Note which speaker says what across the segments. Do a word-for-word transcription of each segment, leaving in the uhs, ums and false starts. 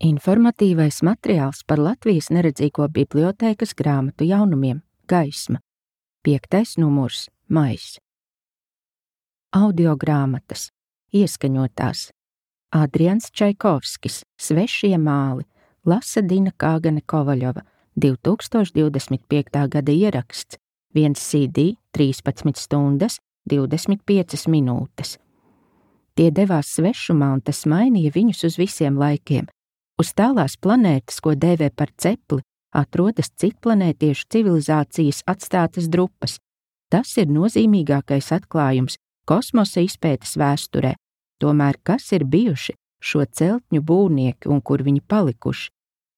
Speaker 1: Informatīvais materiāls par Latvijas neredzīgo bibliotēkas grāmatu jaunumiem Gaisma. Piektais numurs Maijs. Audiogrāmatas. Ieskaņotās. Adrians Čaikovskis. Svešie māli. Lasa Dina Kāgane Kovaļova. divi tūkstoši divdesmit piektā gada ieraksts. Viens C D, trīspadsmit stundas, divdesmit piecas minūtes. Tie devās svešumā, un tas mainīja viņus uz visiem laikiem. Uz tālās planētas, ko dēvē par cepli, atrodas citplanētiešu civilizācijas atstātas drupas. Tas ir nozīmīgākais atklājums kosmosa izpētes vēsturē. Tomēr kas ir bijuši šo celtņu būvnieki un kur viņi palikuši?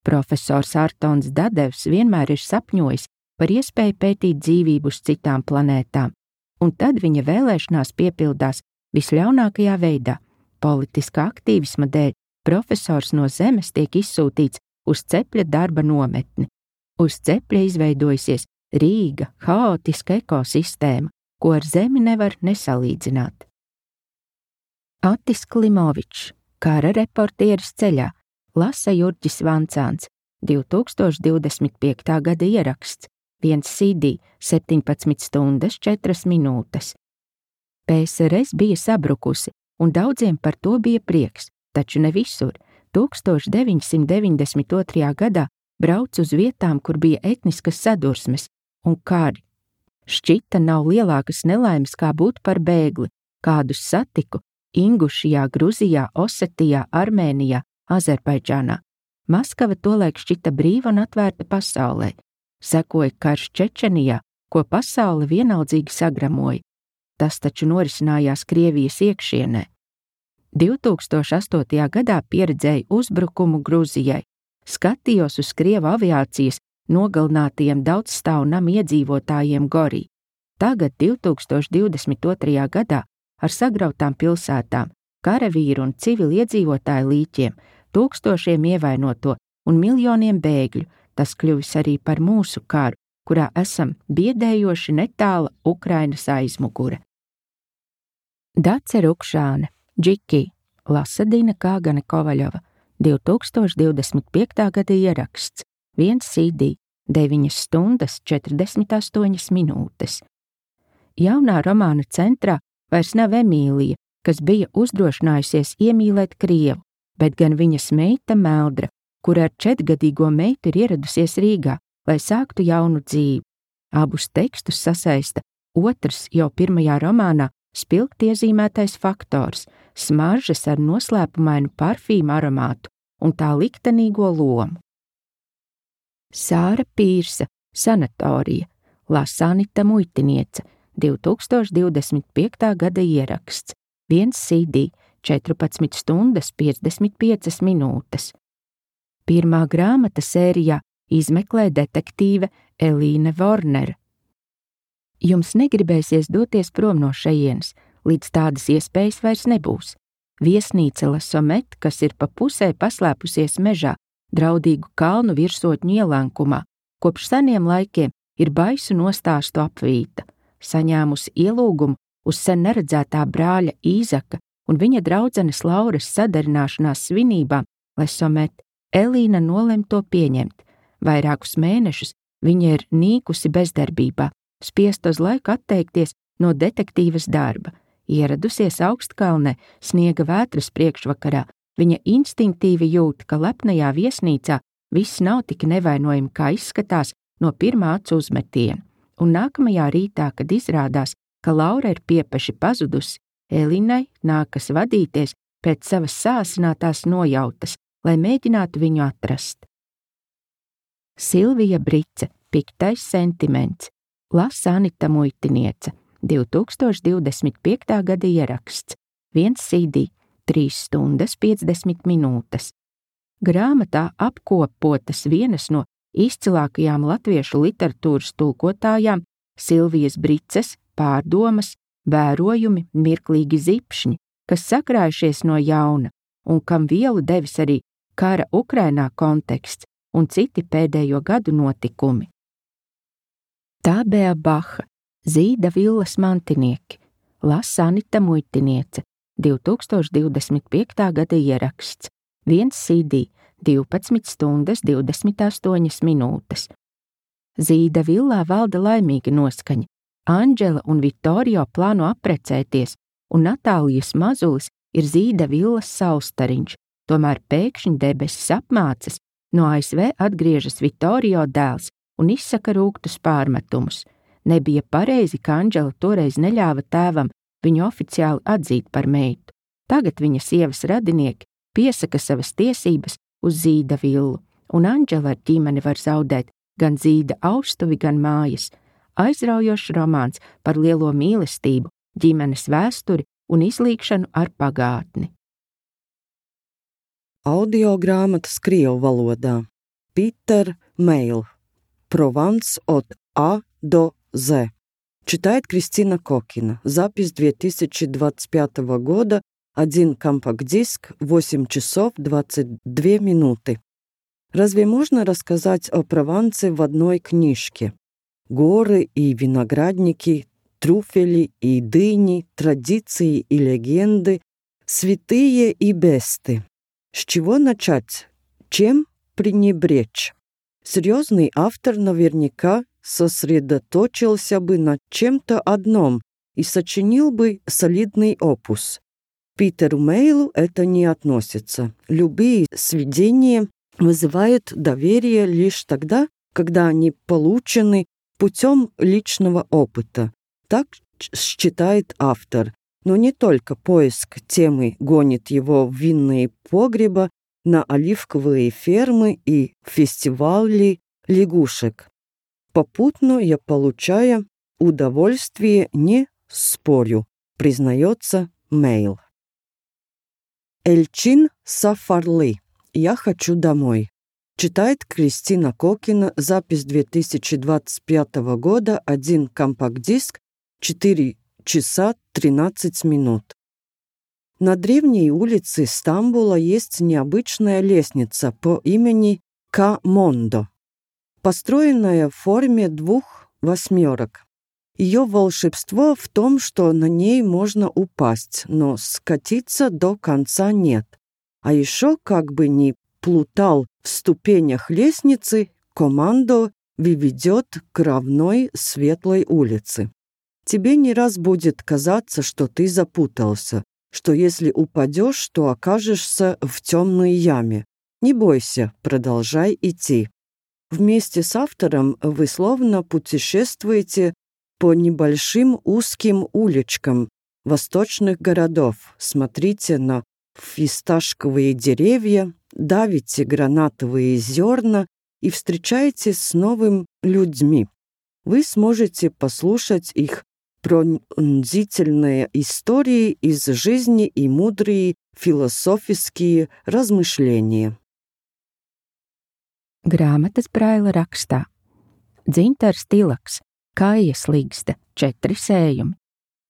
Speaker 1: Profesors Artons Dadevs vienmēr ir sapņojis par iespēju pētīt dzīvību uz citām planētām, un tad viņa vēlēšanās piepildās visļaunākajā veidā. Politiskā aktīvisma dēļ profesors no Zemes tiek izsūtīts uz cepļa darba nometni. Uz cepļa izveidojusies rīga, haotiska ekosistēma, ko ar Zemi nevar nesalīdzināt. Atis Klimovičs, kara reportieris ceļā, lasa Jurģis Vancāns, divi tūkstoši divdesmit piektā gada ieraksts, viens C D, septiņpadsmit stundas, četras minūtes. P S R S bija sabrukusi, un daudziem par to bija prieks, taču ne visur. tūkstoš deviņsimt deviņdesmit otrajā gadā brauc uz vietām, kur bija etniskas sadursmes un kari. Šķita nav lielākas nelaimes, kā būt par bēgli, kādus satiku Ingušijā, Gruzijā, Osetijā, Armēnijā, Azerbaidžānā. Maskava tolaik šķita brīva un atvērta pasaulē. Sekoja karš Čečenijā, ko pasaule vienaldzīgi sagramoja. Tas taču norisinājās Krievijas iekšienē. divi tūkstoši astotajā gadā pieredzēju uzbrukumu Gruzijai. Skatījos uz Krievu aviācijas nogalinātajiem daudzstāvu namu iedzīvotājiem Gorī. Tagad divi tūkstoši divdesmit otrajā gadā ar sagrautām pilsētām, karavīru un civiliedzīvotāju līķiem, tūkstošiem ievainoto un miljoniem bēgļu, tas kļuvis arī par mūsu karu, kurā esam biedējoši netāla Ukrainas aizmugure. Dace Rukšāne, Džiki, lasa Dina Kāgane Kovaļova, divi tūkstoši divdesmit piektā gada ieraksts, viens C D, deviņas stundas, četrdesmit astoņas minūtes. Jaunā romāna centrā vairs nav Emīlija, kas bija uzdrošinājusies iemīlēt Krievu, bet gan viņas meita Meldra, kur ar četrgadīgo meitu ir ieradusies Rīgā, lai sāktu jaunu dzīvi. Abus tekstus sasaista otrs jau pirmajā romānā spilgti iezīmētais faktors – smaržas ar noslēpumainu parfīmu aromātu un tā liktenīgo lomu. Sāra Pīrsa, Sanatorija, lasa Anita Muitiniece, divi tūkstoši divdesmit piektā gada ieraksts, viens C D, četrpadsmit stundas, piecdesmit piecas minūtes. Pirmā grāmata sērijā izmeklē detektīve Elīne Vornere. Jums negribēsies doties prom no šejienes, līdz tādas iespējas vairs nebūs. Viesnīca La Sommet, kas ir pa pusē paslēpusies mežā, draudīgu kalnu virsotņu ielenkumā, kopš seniem laikiem ir baisu nostāstu apvīta. Saņēmusi ielūgumu uz sen neredzētā brāļa Īzaka un viņa draudzenes Lauras sadarināšanās svinībām La Sommet, Elīna nolem to pieņemt. Vairākus mēnešus viņa ir nīkusi bezdarbībā, spiest uz laiku atteikties no detektīvas darba. Ieradusies Augstkalnē sniega vētras priekšvakarā, viņa instinktīvi jūt, ka lepnajā viesnīcā viss nav tik nevainojami, kā izskatās no pirmā acu uzmetiena. Un nākamajā rītā, kad izrādās, ka Laura ir piepeši pazudusi, Elīnai nākas vadīties pēc savas sāsinātās nojautas, lai mēģinātu viņu atrast. Silvija Brice, Piktais sentiments, lasa Anita Muitiniece, divi tūkstoši divdesmit piektā gada ieraksts, viens C D, trīs stundas, piecdesmit minūtes. Grāmatā apkopotas vienas no izcilākajām latviešu literatūras tulkotājām Silvijas Brices pārdomas, vērojumi, mirklīgi zipšņi, kas sakrājušies no jauna un kam vielu devis arī kara Ukrainā konteksts un citi pēdējo gadu notikumi. Tābea Baha, Zīda villas mantinieki, lasa Anita Muitiniece, divi tūkstoši divdesmit piektā gada ieraksts, viens C D, divpadsmit stundas divdesmit astoņas minūtes. Zīda villā valda laimīga noskaņa. Andžela un Vittorio plāno apprecēties, un Natālijas mazulis ir Zīda villas saulstariņš, tomēr pēkšņi debesis apmācas, no A S V atgriežas Vittorio dēls un izsaka rūgtus pārmetumus. Nebija pareizi, ka Andžela toreiz neļāva tēvam viņu oficiāli atzīt par meitu. Tagad viņa sievas radinieki piesaka savas tiesības uz Zīda villu, un Andžela ar ģimeni var zaudēt gan Zīda austuvi, gan mājas. Aizraujošs romāns par lielo mīlestību, ģimenes vēsturi un izlīgšanu ar pagātni.
Speaker 2: Audio grāmatas krievu valodā. Питер Мейл. Прованс от А до З. Читает Кристина Кокина. Запись две тысячи двадцать пятого года. Один компакт-диск, восемь часов двадцать две минуты. Разве можно рассказать о Провансе в одной книжке? Горы и виноградники, трюфели и дыни, традиции и легенды, святые и бесты. С чего начать? Чем пренебречь? Серьезный автор наверняка сосредоточился бы на чем-то одном и сочинил бы солидный опус. Питеру Мейлу это не относится. Любые сведения вызывают доверие лишь тогда, когда они получены путем личного опыта. Так считает автор. Но не только поиск темы гонит его в винные погреба, на оливковые фермы и фестивали лягушек. Попутно я получаю удовольствие, не спорю, признается Мейл. Эльчин Сафарли. Я хочу домой. Читает Кристина Кокина. Запись две тысячи двадцать пятого года. Один компакт-диск. четыре часа тринадцать минут. На древней улице Стамбула есть необычная лестница по имени Ка-Мондо, построенная в форме двух восьмерок. Ее волшебство в том, что на ней можно упасть, но скатиться до конца нет. А еще, как бы ни плутал в ступенях лестницы, Командо выведет к равной светлой улице. Тебе не раз будет казаться, что ты запутался, что если упадешь, то окажешься в темной яме. Не бойся, продолжай идти. Вместе с автором вы словно путешествуете по небольшим узким уличкам восточных городов. Смотрите на фисташковые деревья, давите гранатовые зерна и встречаетесь с новыми людьми. Вы сможете послушать их пронзительные истории из жизни и мудрые философские размышления.
Speaker 1: Grāmatas Braila rakstā. Dzintars Tilaks, Kājas līgsta, četri sējumi.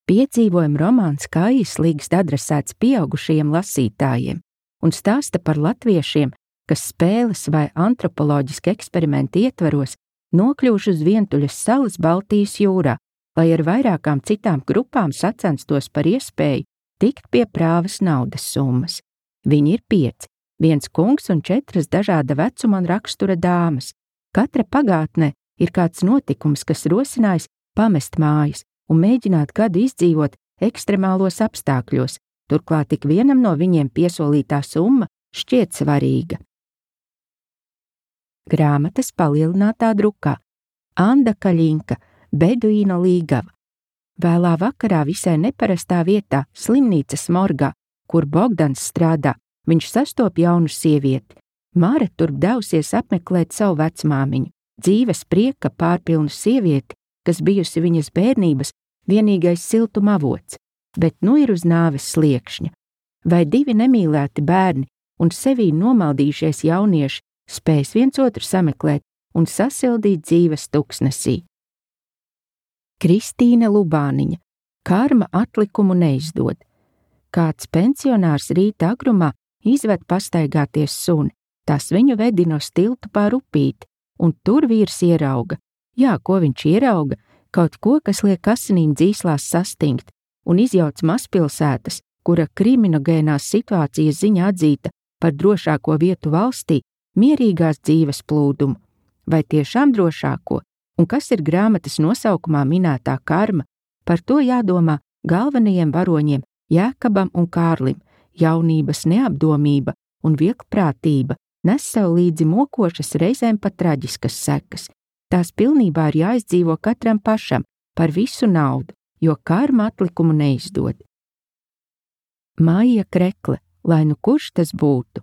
Speaker 1: Piedzīvojuma romāns Kājas līgsta adresēts pieaugušajiem lasītājiem un stāsta par latviešiem, kas spēles vai antropoloģiski eksperimenti ietvaros nokļuvuši uz vientuļas salas Baltijas jūrā, lai ar vairākām citām grupām sacenstos par iespēju tikt pie prāvas naudas summas. Viņi ir pieci, viens kungs un četras dažāda vecuma un rakstura dāmas. Katra pagātnē ir kāds notikums, kas rosinājis pamest mājas un mēģināt gadu izdzīvot ekstremālos apstākļos, turklāt tik vienam no viņiem piesolītā summa šķiet svarīga. Grāmatas palielinātā drukā. Anda Kaļinka, Beduīna līgava. Vēlā vakarā visai neparastā vietā, slimnīcas morgā, kur Bogdans strādā, viņš sastop jaunu sievieti. Māra turp devusies apmeklēt savu vecmāmiņu, dzīves prieka pārpilnu sievieti, kas bijusi viņas bērnības vienīgais siltuma avots, bet nu ir uz nāves sliekšņa. Vai divi nemīlēti bērni un sevī nomaldījušies jaunieši spēs viens otru sameklēt un sasildīt dzīves tuksnesī? Kristīna Lubāniņa, Karma atlikumu neizdod. Kāds pensionārs rīta agrumā izved pastaigāties suni, tas viņu vedina uz tiltu pār upīti, un tur vīrs ierauga. Jā, ko viņš ierauga? Kaut ko, kas liek asinīm dzīslās sastingt, un izjauc mazpilsētas, kura kriminogēnās situācijas ziņā atzīta par drošāko vietu valstī, mierīgās dzīves plūdumu, vai tiešām drošāko, un kas ir grāmatas nosaukumā minētā karma, par to jādomā galvenajiem varoņiem Jēkabam un Kārlim. Jaunības neapdomība un vieglprātība nes sev līdzi mokošas, reizēm pat traģiskas sekas. Tās pilnībā ir jāizdzīvo katram pašam par visu naudu, jo karma atlikumu neizdod. Maija Krekle, lai nu kurš tas būtu.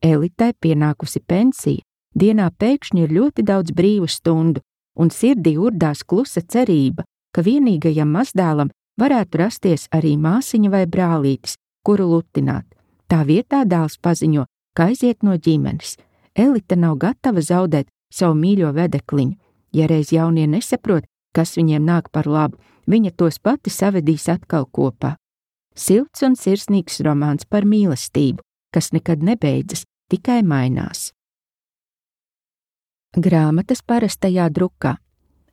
Speaker 1: Elitai pienākusi pensija, dienā pēkšņi ir ļoti daudz brīvu stundu, un sirdī urdās klusa cerība, ka vienīgajam mazdēlam varētu rasties arī māsiņa vai brālītis, kuru lutināt. Tā vietā dēls paziņo, ka aiziet no ģimenes. Elita nav gatava zaudēt savu mīļo vedekliņu. Ja reiz jaunie nesaprot, kas viņiem nāk par labu, viņa tos pati savedīs atkal kopā. Silts un sirsnīgs romāns par mīlestību, kas nekad nebeidzas, tikai mainās. Grāmatas parastajā drukā.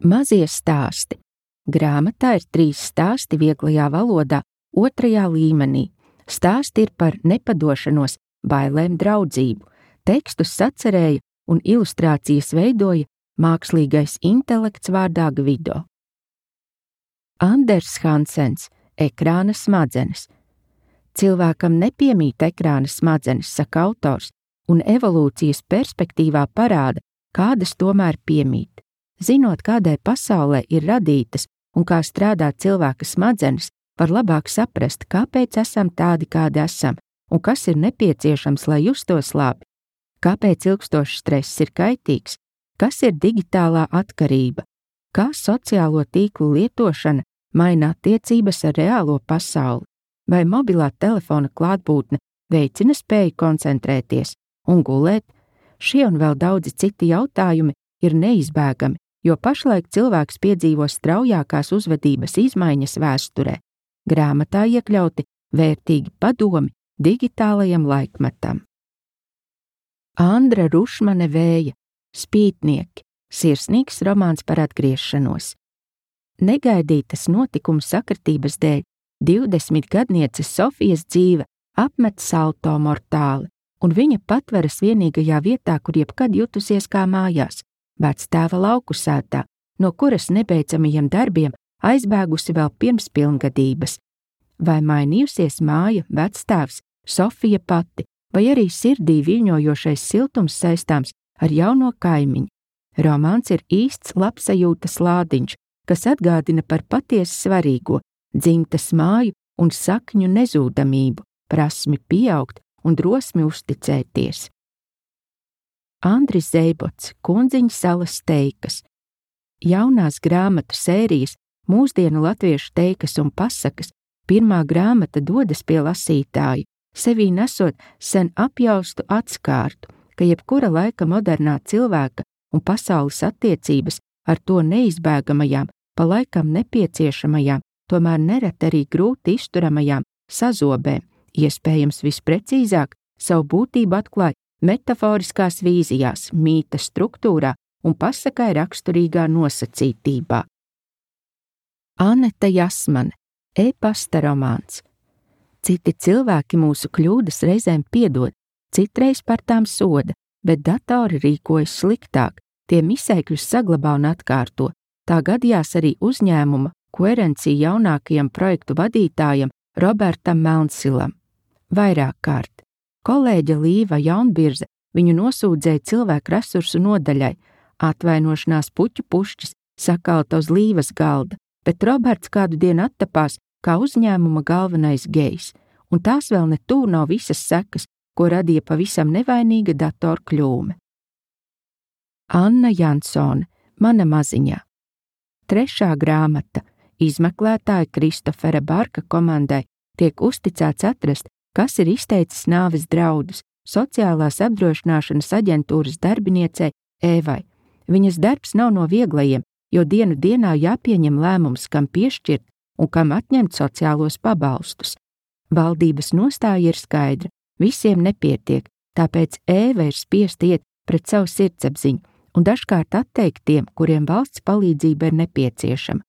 Speaker 1: Mazie stāsti. Grāmatā ir trīs stāsti vieglajā valodā, otrajā līmenī. Stāsti ir par nepadošanos, bailēm, draudzību. Tekstus sacerēja un ilustrācijas veidoja mākslīgais intelekts vārdā Gvido. Anders Hansens, ekrāna smadzenes. Cilvēkam nepiemīt ekrāna smadzenes, saka autors, un evolūcijas perspektīvā parāda, kādas tomēr piemīt. Zinot, kādai pasaulē ir radītas un kā strādā cilvēka smadzenes, var labāk saprast, kāpēc esam tādi, kādi esam, un kas ir nepieciešams, lai justos labi. Kāpēc ilgstošs stress ir kaitīgs, kas ir digitālā atkarība, kā sociālo tīklu lietošana maina attiecības ar reālo pasauli, vai mobilā telefona klātbūtne veicina spēju koncentrēties un gulēt. Šie un vēl daudzi citi jautājumi ir neizbēgami, jo pašlaik cilvēks piedzīvo straujākās uzvedības izmaiņas vēsturē. Grāmatā iekļauti vērtīgi padomi digitālajam laikmetam. Andra Rušmane Vēja, Spītnieki, sirsnīgs romāns par atgriešanos. Negaidītas notikuma sakritības dēļ divdesmitgadnieces Sofijas dzīve apmet salto mortāli, un viņa patveras vienīgajā vietā, kur jebkad jutusies kā mājās, vectēva lauku sētā, no kuras nebeidzamajiem darbiem aizbēgusi vēl pirms pilngadības. Vai mainījusies māja, vectēvs, Sofija pati, vai arī sirdī viļņojošais siltums saistāms ar jauno kaimiņu. Romāns ir īsts labsajūtas lādiņš, kas atgādina par patiesi svarīgo, dzimtas māju un sakņu nezūdamību, prasmi pieaugt un drosmi uzticēties. Andris Zeibots, Kundziņa salas teikas. Jaunās grāmatu sērijas, mūsdienu latviešu teikas un pasakas, pirmā grāmata dodas pie lasītāju, sevī nesot sen apjaustu atskārtu, ka jebkura laika modernā cilvēka un pasaules attiecības ar to neizbēgamajām, pa laikam nepieciešamajām, tomēr nereti arī grūti izturamajām sazobēm, iespējams visprecīzāk savu būtību atklāja metaforiskās vīzijās, mīta struktūrā un pasakai raksturīgā nosacītībā. Aneta Jasmane, e-pasta romāns. Citi cilvēki mūsu kļūdas reizēm piedod, citreiz par tām soda, bet datori rīkojas sliktāk, tie misēkļus saglabā un atkārto. Tā gadījās arī uzņēmuma Koerencija jaunākajam projektu vadītājam Robertam Melnsilam. Vairāk kārt. Kolēģe Līva Jaunbirze viņu nosūdzēja cilvēku resursu nodaļai, atvainošanās puķu pušķis sakalta uz Līvas galda, bet Roberts kādu dienu attapās kā uzņēmuma galvenais gejs, un tās vēl ne tuvu nav visas sekas, ko radīja pavisam nevainīga datoru kļūme. Anna Jansone, Mana maziņā. Trešā grāmata, izmeklētāja Kristofera Barka komandai, tiek uzticēts atrast, kas ir izteicis nāves draudus sociālās apdrošināšanas aģentūras darbiniecei Ēvai. Viņas darbs nav no vieglajiem, jo dienu dienā jāpieņem lēmums, kam piešķirt un kam atņemt sociālos pabalstus. Valdības nostāja ir skaidra, visiem nepietiek, tāpēc Ēva ir spiest iet pret savu sirdsapziņu un dažkārt atteikt tiem, kuriem valsts palīdzība ir nepieciešama.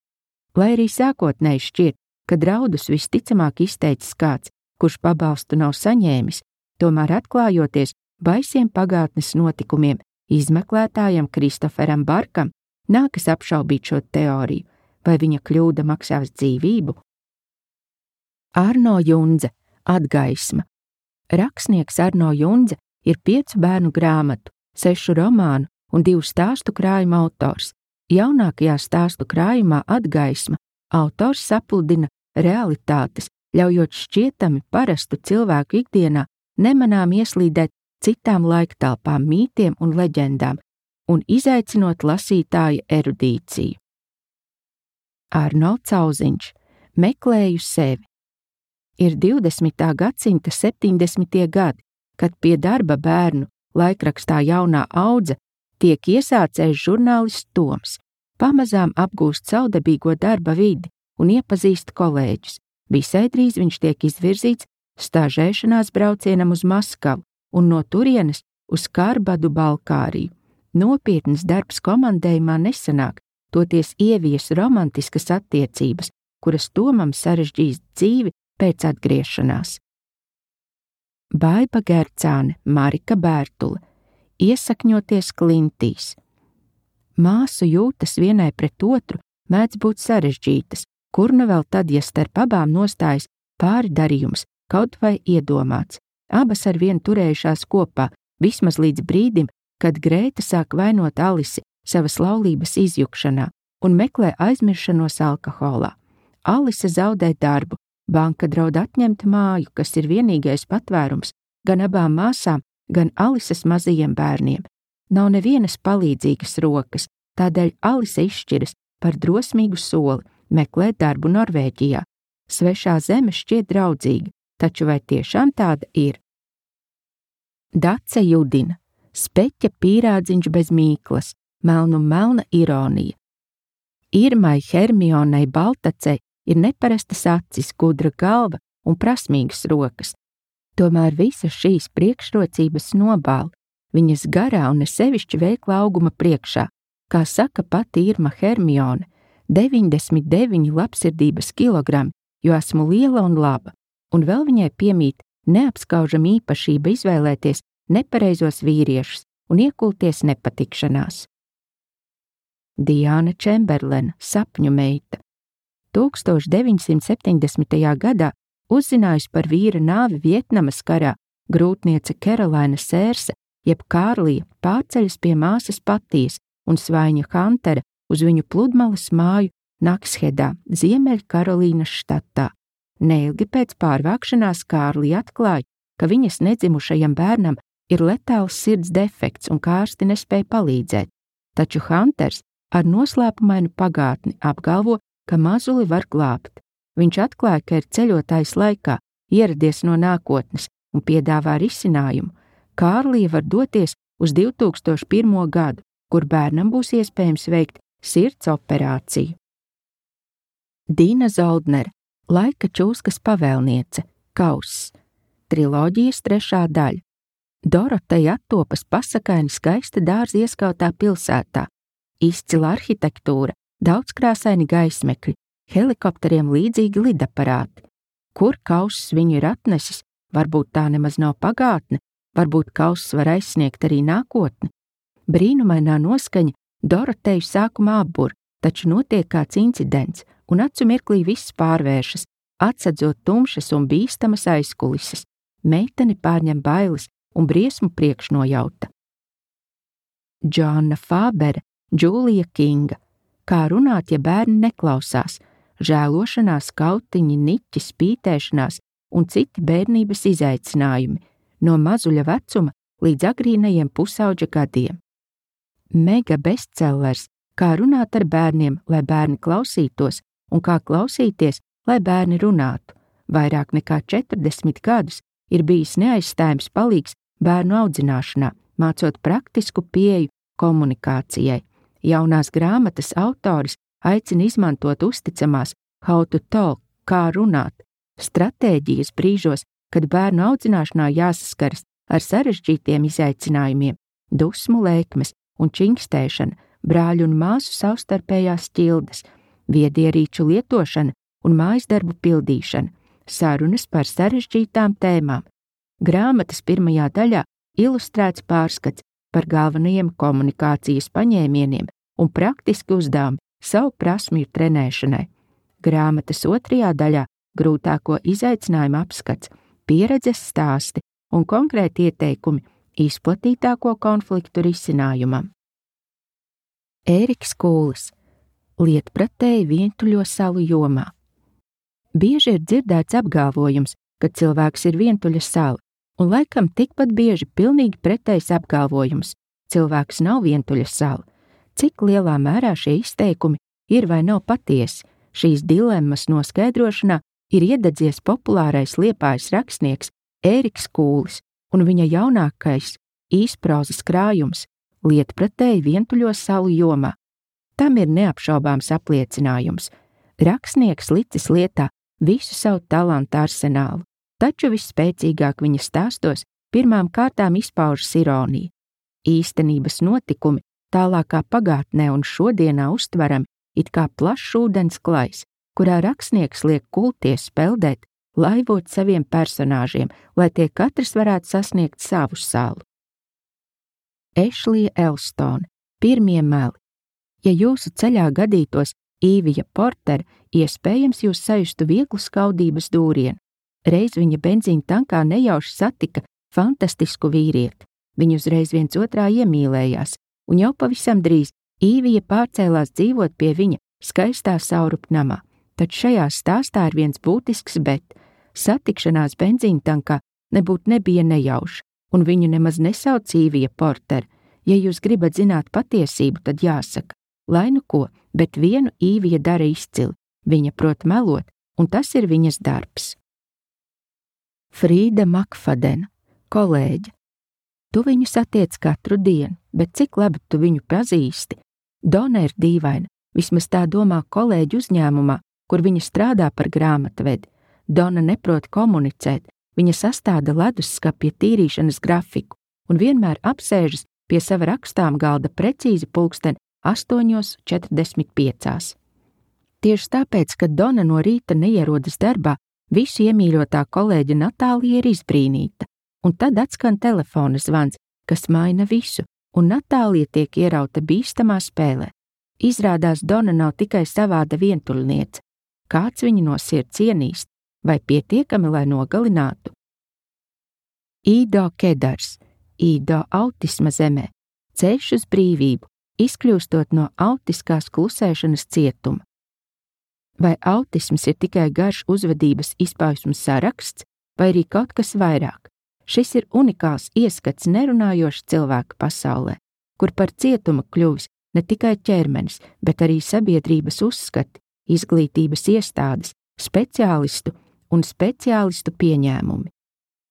Speaker 1: Lai arī sākotnēji šķiet, ka draudus visticamāk izteicis kāds, kurš pabalstu nav saņēmis, tomēr atklājoties, baisiem pagātnes notikumiem izmeklētājam Kristoferam Barkam nākas apšaubīt šo teoriju, vai viņa kļūda maksās dzīvību. Arno Jundze, Atgaisma. Rakstnieks Arno Jundze ir piecu bērnu grāmatu, sešu romānu un divu stāstu krājuma autors. Jaunākajā stāstu krājumā Atgaisma autors sapludina realitātes, ļaujot šķietami parastu cilvēku ikdienā nemanām ieslīdēt citām laiktelpām, mītiem un leģendām un izaicinot lasītāja erudīciju. Arno Cauziņš, Meklēju sevi. Ir divdesmitā gadsimta septiņdesmitie gadi, kad pie darba bērnu laikrakstā Jaunā audze tiek iesācējs žurnālists Toms, pamazām apgūst savdabīgo darba vidi un iepazīst kolēģus. Visai drīz viņš tiek izvirzīts stažēšanās braucienam uz Maskavu un no turienes uz Kārbadu Balkāriju. Nopietns darbs komandējumā nesanāk, toties ievies romantiskas attiecības, kuras Tomam sarežģīs dzīvi pēc atgriešanās. Baiba Gercāne, Marika Bērtule. Iesakņoties klintīs. Māsu jūtas vienai pret otru mēdz būt sarežģītas, kur nu vēl tad, ja starp abām nostājas pāri darījums, kaut vai iedomāts. Abas ar vienu turējušās kopā, vismaz līdz brīdim, kad Grēta sāk vainot Alisi savas laulības izjukšanā un meklē aizmiršanos alkoholā. Alise zaudē darbu, banka draud atņemt māju, kas ir vienīgais patvērums gan abām māsām, gan Alises mazajiem bērniem. Nav nevienas palīdzīgas rokas, tādēļ Alise izšķiras par drosmīgu soli meklēt darbu Norvēģijā. Svešā zeme šķiet draudzīga, taču vai tiešām tāda ir? Dace Judina, Speķa pīrādziņš bez mīklas, melnu melna ironija. Irmai Hermionai Baltacei ir neparastas acis, gudra galva un prasmīgas rokas. Tomēr visas šīs priekšrocības nobāla viņas garā un nesevišķi veikla auguma priekšā. Kā saka pati Irma Hermione, deviņdesmit deviņi labsirdības kilogrami, jo esmu liela un laba, un vēl viņai piemīt neapskaužama īpašība izvēlēties nepareizos vīriešus un iekulties nepatikšanās. Diāna Čemberlena, Sapņu meita. tūkstoš deviņsimt septiņdesmitajā gadā uzzinājusi par vīra nāvi Vietnamas karā, grūtniece Kerolaina Sērse, jeb Kārlija, pārceļas pie māsas Patijas un svaiņa Hantera uz viņu pludmales māju Nakshedā, Ziemeļkarolīnas štatā. Neilgi pēc pārvākšanās Kārlija atklāja, ka viņas nedzimušajam bērnam ir letāls sirds defekts un kārsti nespēja palīdzēt, taču Hanters ar noslēpumainu pagātni apgalvo, ka mazuli var glābt. Viņš atklāja, ka ir ceļotājs laikā, ieradies no nākotnes un piedāvā risinājumu. Kārlija var doties uz divtūkstoš pirmo gadu, kur bērnam būs iespējams veikt sirds operāciju. Dīna Zoldnere, Laika čūskas pavēlniece, Kauss. Triloģijas trešā daļa. Doroteja attopas pasakaini skaista dārza ieskautā pilsētā. Izcila arhitektūra, daudzkrāsaini gaismekļi, helikopteriem līdzīgi lidaparāti. Kur Kauss viņu ir atnesis, varbūt tā nemaz nav pagātne, varbūt Kauss var aizsniegt arī nākotni. Brīnumainā noskaņa Doroteju sākumā apbur, taču notiek kāds incidents, un acu mirklī viss pārvēršas, atsedzot tumšas un bīstamas aizkulises. Meiteni pārņem bailes un briesmu priekšnojauta. Džoanna Fābere, Džūlija Kinga. Kā runāt, ja bērni neklausās, žēlošanās, kautiņi, niķi, spītēšanās un citi bērnības izaicinājumi, no mazuļa vecuma līdz agrīnajiem pusauģa gadiem. Mega bestsellers, kā runāt ar bērniem, lai bērni klausītos, un kā klausīties, lai bērni runātu. Vairāk nekā četrdesmit gadus ir bijis neaizstājams palīgs bērnu audzināšanā, mācot praktisku pieeju komunikācijai. Jaunās grāmatas autoris aicina izmantot uzticamās how to talk, kā runāt, stratēģijas brīžos, kad bērnu audzināšanā jāsaskaras ar sarežģītiem izaicinājumiem, dusmu lēkmes un činkstēšana, brāļu un māsu savstarpējās ķildes, viedierīču lietošana un mājasdarbu pildīšana, sarunas par sarežģītām tēmām. Grāmatas pirmajā daļā ilustrēts pārskats par galvenajiem komunikācijas paņēmieniem un praktiski uzdevumi savu prasmju trenēšanai. Grāmatas otrajā daļā grūtāko izaicinājumu apskats, pieredzes stāsti un konkrēti ieteikumi izplatītāko konfliktu risinājumam. Ēriks Kūlis. Lietpratēji vientuļo salu jomā. Bieži ir dzirdēts apgalvojums, ka cilvēks ir vientuļa sala, un laikam tikpat bieži pilnīgi pretējs apgalvojums – cilvēks nav vientuļa sala. Cik lielā mērā šie izteikumi ir vai nav patiesi, šīs dilemmas noskaidrošanā ir iededzies populārais Liepājas rakstnieks Ēriks Kūlis un viņa jaunākais īsprozas krājums Lietpratēji vientuļo salu jomā. Tam ir neapšaubāms apliecinājums. Rakstnieks licis lietā visu savu talantu arsenālu, taču visspēcīgāk viņa stāstos pirmām kārtām izpaužas ironija. Īstenības notikumi tālākā pagātnē un šodienā uztverami it kā plašs ūdens klajs, kurā rakstnieks liek kulties peldēt, laivot saviem personāžiem, lai tie katrs varētu sasniegt savu salu. Ešlija Elstone. Pirmie meli. Ja jūsu ceļā gadītos Īvija Portere, iespējams jūs sajustu vieglu skaudības dūrienu. Reiz viņa benzīna tankā nejauši satika fantastisku vīrieti. Viņi uzreiz viens otrā iemīlējās, un jau pavisam drīz Īvija pārcēlās dzīvot pie viņa skaistā saurupnamā. Tad šajā stāstā ir viens būtisks bet. Satikšanās benzīna tankā nebūt nebija nejauša, un viņu nemaz nesauc Īvija Portere. Ja jūs gribat zināt patiesību, tad jāsaka, lai nu ko, bet vienu Īvija dara izcili. Viņa prot melot, un tas ir viņas darbs. Frīda Makfadena, kolēģe. Tu viņu satiec katru dienu, bet cik labi tu viņu pazīsti? Dona ir dīvaina, vismaz tā domā kolēģi uzņēmumā, kur viņa strādā par grāmatvedi. Dona neprot komunicēt, viņa sastāda ledusskapja tīrīšanas grafiku un vienmēr apsēžas pie sava rakstām galda precīzi pulksten astoņos četrdesmit piecās. Tieši tāpēc, ka Dona no rīta neierodas darbā, visu iemīļotā kolēģa Natālija ir izbrīnīta, un tad atskan telefona zvans, kas maina visu, un Natālija tiek ierauta bīstamā spēlē. Izrādās Dona nav tikai savāda vientuļniece. Kāds viņu no sirds ienīst, vai pietiekami, lai nogalinātu? Īdo Kedars. Īdo autisma zemē. Ceļš uz brīvību, izkļūstot no autiskās klusēšanas cietuma. Vai autisms ir tikai garš uzvedības izpausmes saraksts, vai arī kaut kas vairāk? Šis ir unikāls ieskats nerunājoša cilvēka pasaulē, kur par cietumu kļuvis ne tikai ķermenis, bet arī sabiedrības uzskati, izglītības iestādes, speciālistu un speciālistu pieņēmumi.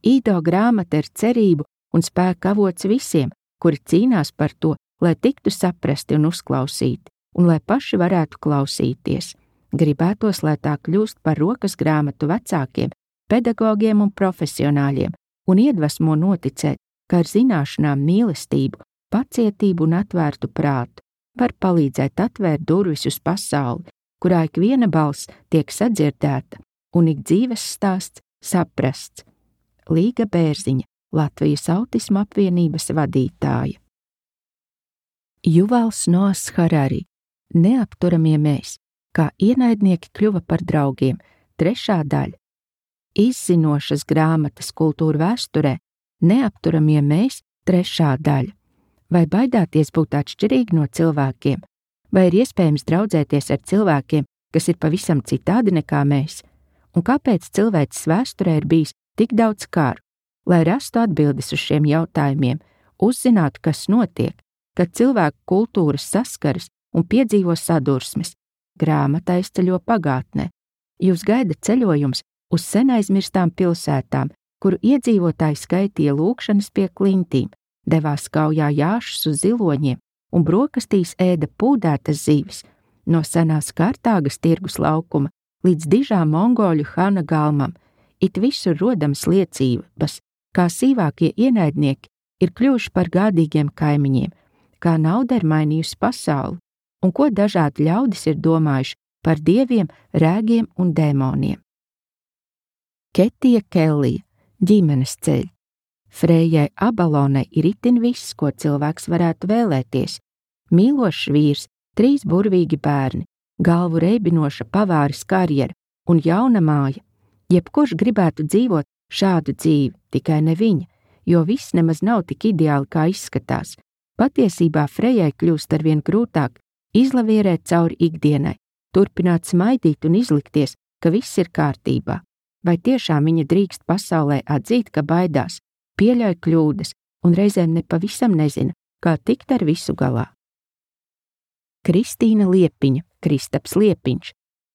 Speaker 1: Īdo grāmata ir cerību un spēka avots visiem, kuri cīnās par to, lai tiktu saprasti un uzklausīti, un lai paši varētu klausīties. Gribētos, lai tā kļūst par rokas grāmatu vecākiem, pedagogiem un profesionāļiem, un iedvesmo noticēt, ka ar zināšanām, mīlestību, pacietību un atvērtu prātu var palīdzēt atvērt durvis uz pasauli, kurā ik viena balss tiek sadzirdēta un ik dzīves stāsts saprasts. Līga Bērziņa, Latvijas autisma apvienības vadītāja. Juvals Noas Harari. Neapturamie mēs, kā ienaidnieki kļuva par draugiem, trešā daļa. Izzinošas grāmatas kultūra vēsturē, neapturamie mēs, trešā daļa. Vai baidāties būt atšķirīgi no cilvēkiem, vai ir iespējams draudzēties ar cilvēkiem, kas ir pavisam citādi nekā mēs? Un kāpēc cilvēces vēsturē ir bijis tik daudz kāru? Lai rastu atbildes uz šiem jautājumiem, uzzinātu, kas notiek, kad cilvēku kultūras saskaras un piedzīvo sadursmes, grāmata aizceļo pagātnē. Jūs gaida ceļojums uz senaizmirstām pilsētām, kuru iedzīvotāji skaitīja lūkšanas pie klintīm, devās kaujā jāšus uz ziloņiem un brokastīs ēda pūdētas zivis, no senās Kartāgas tirgus laukuma līdz dižām mongoļu Hana galmam, it visur rodamas liecības, kā sīvākie ienaidnieki ir kļuvuši par gādīgiem kaimiņiem, kā nauda ir mainījusi pasauli, un ko dažādi ļaudis ir domājuši par dieviem, rēgiem un dēmoniem. Ketija Kellija, ģimenes ceļi. Frejai Abalonai ir itin viss, ko cilvēks varētu vēlēties. Mīlošs vīrs, trīs burvīgi bērni, galvu reibinoša pavāris karjera un jauna māja. Jebkurš gribētu dzīvot šādu dzīvi, tikai ne viņa, jo viss nemaz nav tik ideāli, kā izskatās. Patiesībā Frejai kļūst arvien grūtāk izlavierēt cauri ikdienai, turpināt smaidīt un izlikties, ka viss ir kārtībā. Vai tiešām viņa drīkst pasaulē atzīt, ka baidās, pieļauj kļūdas un reizēm nepavisam nezina, kā tikt ar visu galā? Kristīna Liepiņa, Kristaps Liepiņš,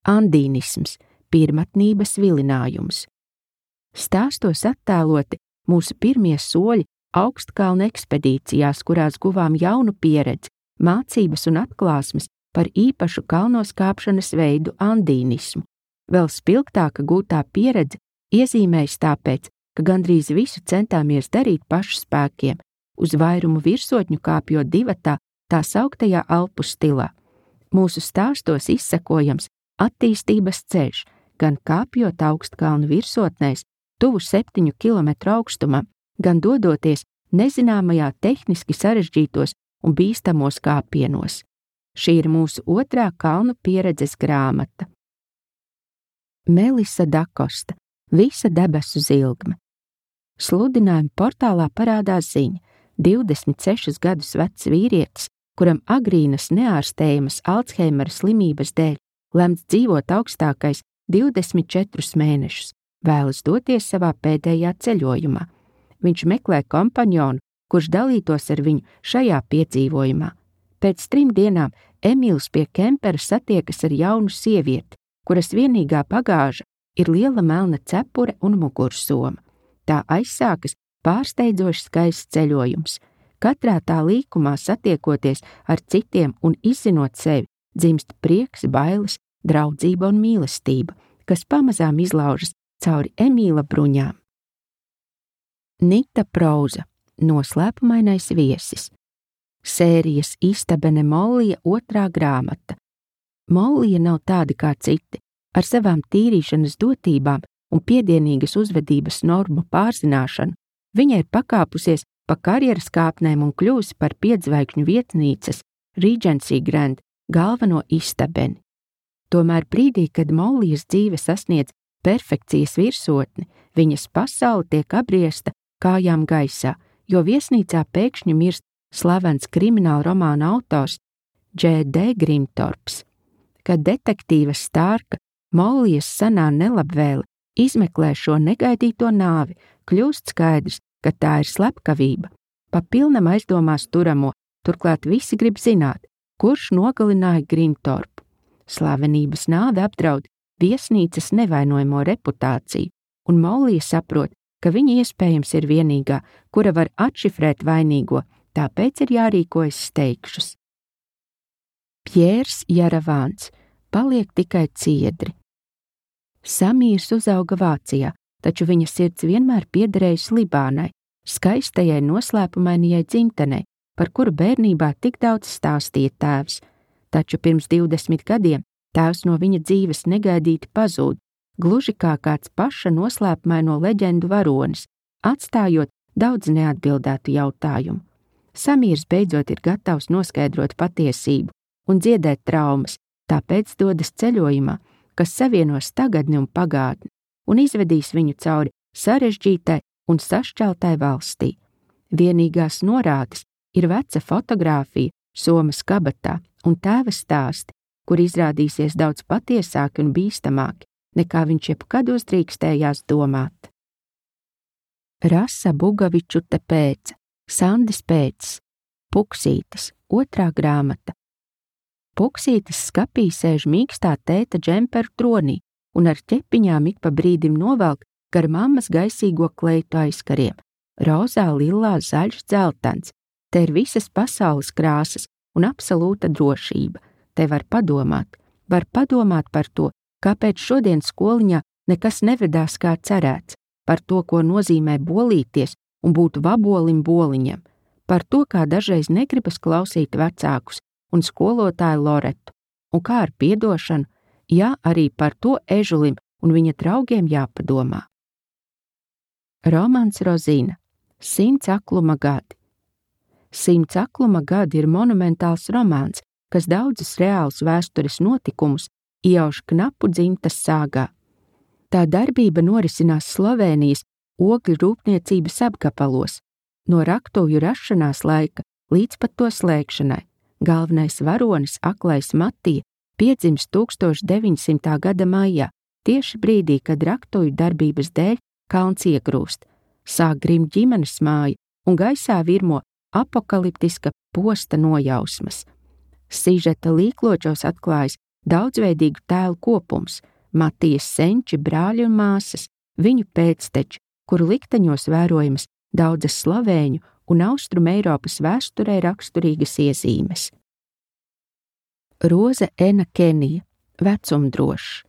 Speaker 1: andīnisms, pirmatnības vilinājums. Stāstos attēloti mūsu pirmie soļi augstkalnu ekspedīcijās, kurās guvām jaunu pieredzi, mācības un atklāsmes par īpašu kalnos kāpšanas veidu andīnismu. Vēl spilgtāka gūtā pieredze iezīmējas tāpēc, ka gandrīz visu centāmies darīt pašu spēkiem, uz vairumu virsotņu kāpjot divatā tā sauktajā Alpu stilā. Mūsu stāstos izsekojams attīstības ceļš, gan kāpjot augstkalnu virsotnēs, tuvu septiņu kilometru augstumam, gan dodoties nezināmajā tehniski sarežģītos un bīstamos kāpienos. Šī ir mūsu otrā kalnu pieredzes grāmata. Melisa Dakosta, Visa debesu zilgme. Sludinājuma portālā parādās ziņa. divdesmit sešus gadus vecs vīrietis, kuram agrīnas neārstējamas Alzheimera slimības dēļ lemts dzīvot augstākais divdesmit četrus mēnešus, vēlas doties savā pēdējā ceļojumā. Viņš meklē kompanjonu, kurš dalītos ar viņu šajā piedzīvojumā. Pēc trim dienām Emīls pie kempera satiekas ar jaunu sievieti, kuras vienīgā bagāža ir liela melna cepure un mugursoma. Tā aizsākas pārsteidzoši skaists ceļojums. Katrā tā līkumā satiekoties ar citiem un izzinot sevi, dzimst prieks, bailes, draudzība un mīlestība, kas pamazām izlaužas cauri Emīla bruņām. Nita Prauza, Noslēpumainais viesis. Sērijas Istabene Mollija otrā grāmata. Mollija nav tāda kā citi, ar savām tīrīšanas dotībām un piedienīgas uzvedības normu pārzināšanu. Viņa ir pakāpusies pa karjeras kāpnēm un kļūsi par piedzvaigžņu vietnīcas Regency Grand galveno istabeni. Tomēr brīdī, kad Mollijas dzīve sasniedz perfekcijas virsotni, viņas pasaule tiek abriesta kājām gaisā, jo viesnīcā pēkšņi mirst slavens krimināla romāna autors Dž D Grimtorps. Kad detektīva Stārka, Mollijas senā nelabvēle, izmeklē šo negaidīto nāvi, kļūst skaidrs, ka tā ir slepkavība. Pa pilnam aizdomās turamo, turklāt visi grib zināt, kurš nogalināja Grimtorpu. Slavenības nāve apdraud viesnīcas nevainojamo reputāciju, un Mollija saprot, ka viņa iespējams ir vienīgā, kura var atšifrēt vainīgo, tāpēc ir jārīkojas steigšus. Pjērs Jaravāns, Paliek tikai ciedri. Samīrs uzauga Vācijā, taču viņa sirds vienmēr piederējusi Libānai, skaistajai noslēpumainajai dzimtenei, par kuru bērnībā tik daudz stāstīja tēvs. Taču pirms divdesmit gadiem tēvs no viņa dzīves negaidīti pazūd, gluži kā kāds paša noslēpumaino leģendu varonis, atstājot daudz neatbildētu jautājumu. Samīrs beidzot ir gatavs noskaidrot patiesību un dziedēt traumas, tāpēc dodas ceļojumā, kas savienos tagadni un pagātni un izvedīs viņu cauri sarežģītai un sašķeltai valstī. Vienīgās norādes ir veca fotogrāfija somas kabatā un tēva stāsti, kur izrādīsies daudz patiesāki un bīstamāki, nekā viņš jebkad uzdrīkstējās domāt. Rasa Bugavičuta Pēca, Sandis Pēcis, Puksītis, otrā grāmata. Puksītis skapī sēž mīkstā tēta džemperu tronī un ar ķepiņām ik pa brīdim novelk gar mammas gaisīgo kleitu aizkariem. Rozā, lilā, zaļš, dzeltens. Te ir visas pasaules krāsas un absolūta drošība. Te var padomāt. Var padomāt par to, kāpēc šodien skoliņā nekas nevedās kā cerēts, par to, ko nozīmē bolīties un būt vabolim boliņam, par to, kā dažreiz negribas klausīt vecākus un skolotāju Loretu, un kā ar piedošanu, jā, arī par to ežulim un viņa draugiem jāpadomā. Romans Rozina, Simts akluma gadi. Simts akluma gadi ir monumentāls romāns, kas daudzus reālus vēstures notikumus iejauš knapu dzimtas sāgā. Tā darbība norisinās Slovēnijas ogļu rūpniecības apgabalos, no raktuvju rašanās laika līdz pat to slēgšanai. Galvenais varonis, aklais Matija, piedzimst tūkstoš deviņsimtā gada maijā, tieši brīdī, kad raktuvju darbības dēļ kalns iegrūst. Sāk grimt ģimenes māja un gaisā virmo apokaliptiska posta nojausmas. Sižeta līkločos atklājas daudzveidīgu tēlu kopums, Matijas senči, brāļi un māsas, viņu pēcteči, kuru likteņos vērojamas daudzas slovēņu un Austrum Eiropas vēsturē raksturīgas iezīmes. Roze Ena Kenija, vecumdrošs.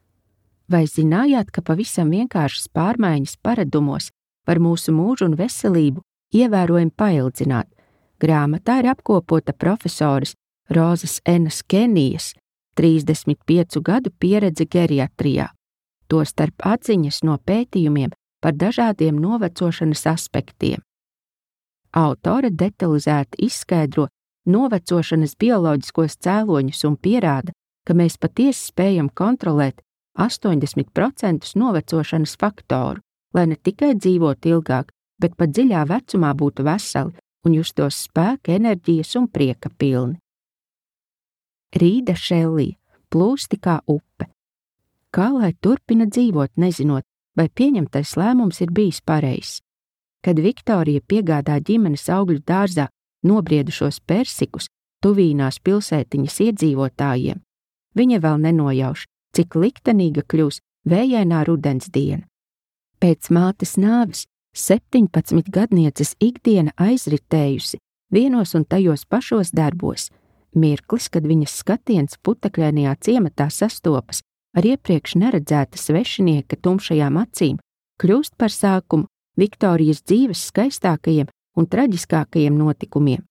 Speaker 1: Vai zinājāt, ka pavisam vienkāršas pārmaiņas paradumos var mūsu mūžu un veselību ievērojami paildzināt? Grāmatā ir apkopota profesoras Rozes Enas Kenijas trīsdesmit piecu gadu pieredze geriatrijā, tostarp atziņas no pētījumiem par dažādiem novecošanas aspektiem. Autore detalizēti izskaidro novecošanas bioloģiskos cēloņus un pierāda, ka mēs patiesi spējam kontrolēt astoņdesmit procentus novecošanas faktoru, lai ne tikai dzīvotu ilgāk, bet pat dziļā vecumā būtu veseli un justos spēka, enerģijas un prieka pilni. Rīda Šellija, plūsti kā upe. Kā lai turpina dzīvot, nezinot, vai pieņemtais lēmums ir bijis pareizs? Kad Viktorija piegādā ģimenes augļu dārzā nobriedušos persikus tuvīnās pilsētiņas iedzīvotājiem, viņa vēl nenojauš, cik liktenīga kļūs vējainā rudens diena. Pēc mātes nāves septiņpadsmit gadnieces ikdiena aizritējusi vienos un tajos pašos darbos. Mirklis, kad viņas skatiens putekļainajā ciematā sastopas ar iepriekš neredzēta svešinieka tumšajām acīm, kļūst par sākumu Viktorijas dzīves skaistākajiem un traģiskākajiem notikumiem.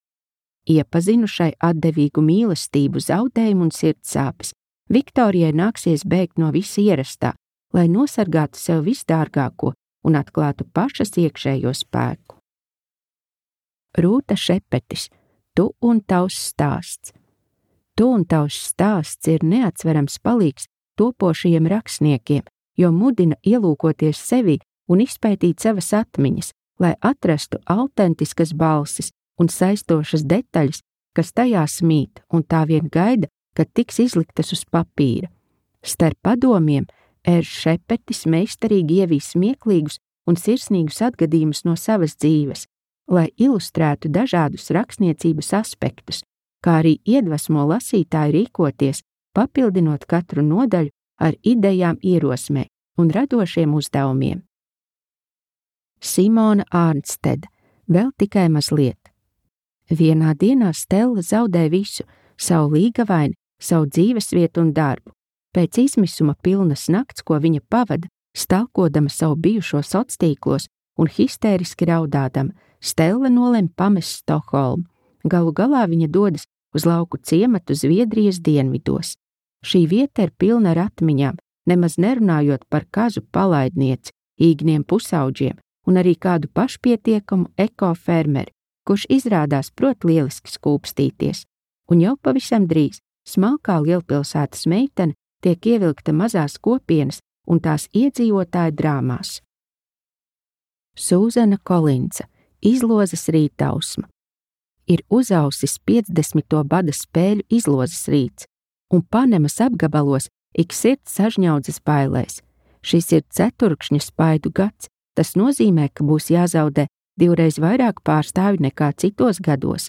Speaker 1: Iepazinušai atdevīgu mīlestību, zaudējumu un sirdsāpes, Viktorijai nāksies bēgt no visa ierastā, lai nosargātu sev visdārgāko un atklātu pašas iekšējo spēku. Rūta Šepetis, Tu un tavs stāsts. Tu un tavs stāsts ir neatsverams palīgs topošajiem rakstniekiem, jo mudina ielūkoties sevi un izpētīt savas atmiņas, lai atrastu autentiskas balsis un saistošas detaļas, kas tajās mīt un tā vien gaida, kad tiks izliktas uz papīra. Starp padomiem Ērs Šepetis meistarīgi ievīs smieklīgus un sirsnīgus atgadījumus no savas dzīves, lai ilustrētu dažādus rakstniecības aspektus, kā arī iedvesmo lasītāju rīkoties, papildinot katru nodaļu ar idejām, ierosmē un radošiem uzdevumiem. Simona Ārnstede, vēl tikai mazliet. Vienā dienā Stella zaudē visu, savu līgavaini, savu dzīvesvietu un darbu. Pēc izmisuma pilnas nakts, ko viņa pavada, stalkodama savu bijušo sociālos un histēriski raudādama, Stella nolem pamest Stokholmu. Galu galā viņa dodas uz lauku ciematu Zviedrijas dienvidos. Šī vieta ir pilna ar atmiņām, nemaz nerunājot par kazu palaidnieci, īgniem pusauģiem un arī kādu pašpietiekamu ekofermeri, kurš izrādās prot lieliski skūpstīties. Un jau pavisam drīz smalkā lielpilsētas meitene tiek ievilkta mazās kopienas un tās iedzīvotāju drāmās. Sūzana Kolinsa, Izlozes rītausma. Ir uzausis piecdesmito bada spēļu izlozes rīts, un Panemas apgabalos ik sirds sažņaudzes bailēs. Šis ir ceturkšņa spaidu gads, tas nozīmē, ka būs jāzaudē divreiz vairāk pārstāvju nekā citos gados.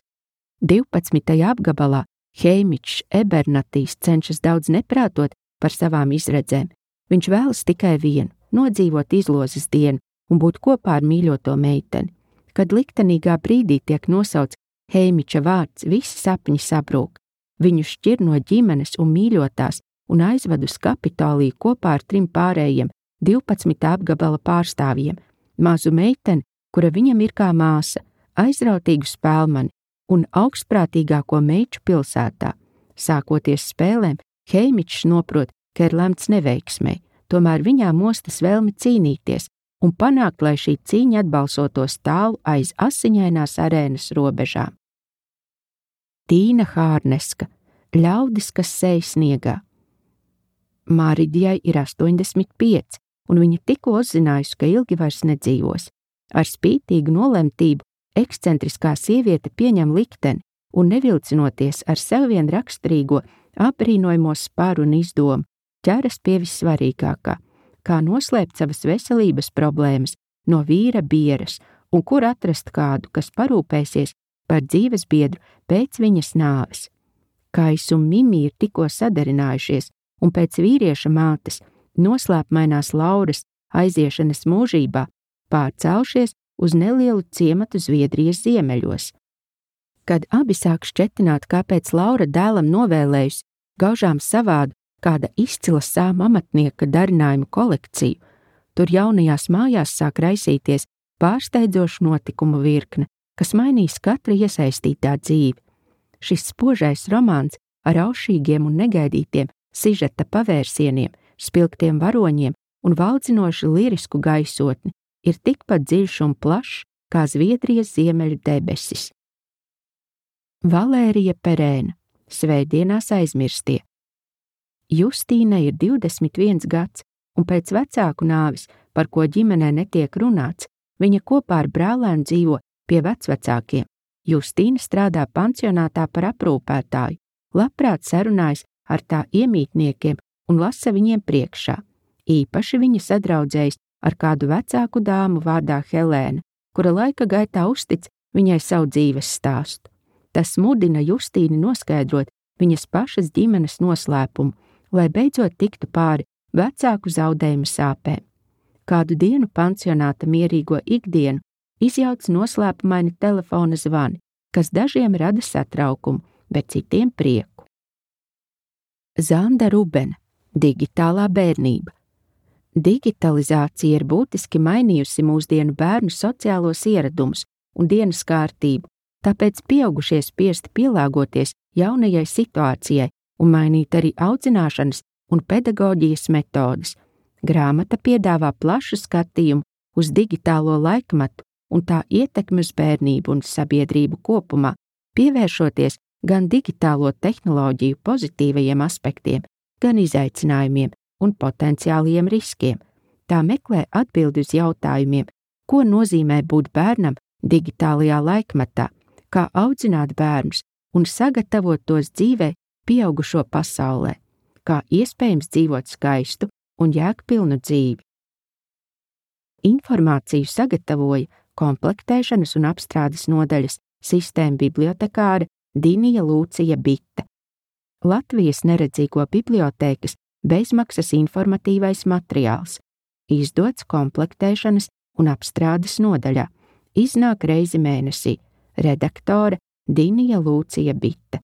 Speaker 1: divpadsmitajā apgabalā Heimičs Ebernatīs cenšas daudz neprātot par savām izredzēm. Viņš vēlas tikai vienu – nodzīvot izlozes dienu un būt kopā ar mīļoto meiteni. Kad liktenīgā brīdī tiek nosauts Heimiča vārds, visi sapņi sabrūk. Viņu šķir no ģimenes un mīļotās un aizved uz Kapitoliju kopā ar trim pārējiem divpadsmitā apgabala pārstāvjiem, mazu meiteni, kura viņam ir kā māsa, aizrautīgu spēlmani un augstprātīgāko meiču pilsētā. Sākoties spēlēm, Heimičs noprot, ka ir lemts neveiksmei, tomēr viņā mostas vēlme cīnīties, un panākt, lai šī cīņa atbalsotos tālu aiz asiņainās arēnas robežām. Tīna Hārneska, ļaudis, kas sēj sniegā. Māridijai ir astoņdesmit pieci, un viņa tikko uzzinājusi, ka ilgi vairs nedzīvos. Ar spītīgu nolemtību ekscentriskā sieviete pieņem likteni un nevilcinoties ar sev vien raksturīgo apbrīnojamo sparu un izdomu, ķeras pie vissvarīgākā, kā noslēpt savas veselības problēmas no vīra bieras un kur atrast kādu, kas parūpēsies par dzīves biedru pēc viņas nāves. Kais un Mimi ir tikko sadarinājušies, un pēc vīrieša mātes noslēpmainās Lauras aiziešanas mūžībā pārcelšies uz nelielu ciematu Zviedrijas ziemeļos. Kad abi sāk šķetināt, kāpēc Laura dēlam novēlējusi gaužām savādu kāda izcila sāma amatnieka darinājumu kolekciju, tur jaunajās mājās sāk raisīties pārsteidzošu notikumu virkne, kas mainīs katra iesaistītā dzīvi. Šis spožais romāns ar aušīgiem un negaidītiem sižeta pavērsieniem, spilgtiem varoņiem un valdzinošu lirisku gaisotni ir tikpat dziļš un plašs kā Zviedrijas ziemeļu debesis. Valērija Perēna, Svētdienās aizmirstie. Justīna ir divdesmit viens gads, un pēc vecāku nāvis, par ko ģimenē netiek runāts, viņa kopā ar brālēnu dzīvo pie vecvecākiem. Justīna strādā pansionātā par aprūpētāju, labprāt sarunājas ar tā iemītniekiem un lasa viņiem priekšā. Īpaši viņa sadraudzējas ar kādu vecāku dāmu vārdā Helēna, kura laika gaitā uztic viņai savu dzīves stāstu. Tas mudina Justīni noskaidrot viņas pašas ģimenes noslēpumu, lai beidzot tiktu pāri vecāku zaudējumu sāpēm. Kādu dienu pansionāta mierīgo ikdienu izjauc noslēpumaini telefona zvani, kas dažiem rada satraukumu, bet citiem prieku. Zanda Rubena, digitālā bērnība. Digitalizācija ir būtiski mainījusi mūsdienu bērnu sociālos ieradumus un dienas kārtību, tāpēc pieaugušie spiesti pielāgoties jaunajai situācijai un mainīt arī audzināšanas un pedagoģijas metodes. Grāmata piedāvā plašu skatījumu uz digitālo laikmetu un tā ietekmi uz bērnību un sabiedrību kopumā, pievēršoties gan digitālo tehnoloģiju pozitīvajiem aspektiem, gan izaicinājumiem un potenciāliem riskiem. Tā meklē atbildi uz jautājumiem, ko nozīmē būt bērnam digitālajā laikmetā, kā audzināt bērnus un sagatavot tos dzīvē pieaugušo pasaulē, kā iespējams dzīvot skaistu un jēgpilnu dzīvi. Informāciju sagatavoja komplektēšanas un apstrādes nodaļas sistēma bibliotekāre Dinija Lūcija Bita. Latvijas neredzīgo bibliotēkas bezmaksas informatīvais materiāls, izdots komplektēšanas un apstrādes nodaļā, iznāk reizi mēnesī, redaktore Dinija Lūcija Bita.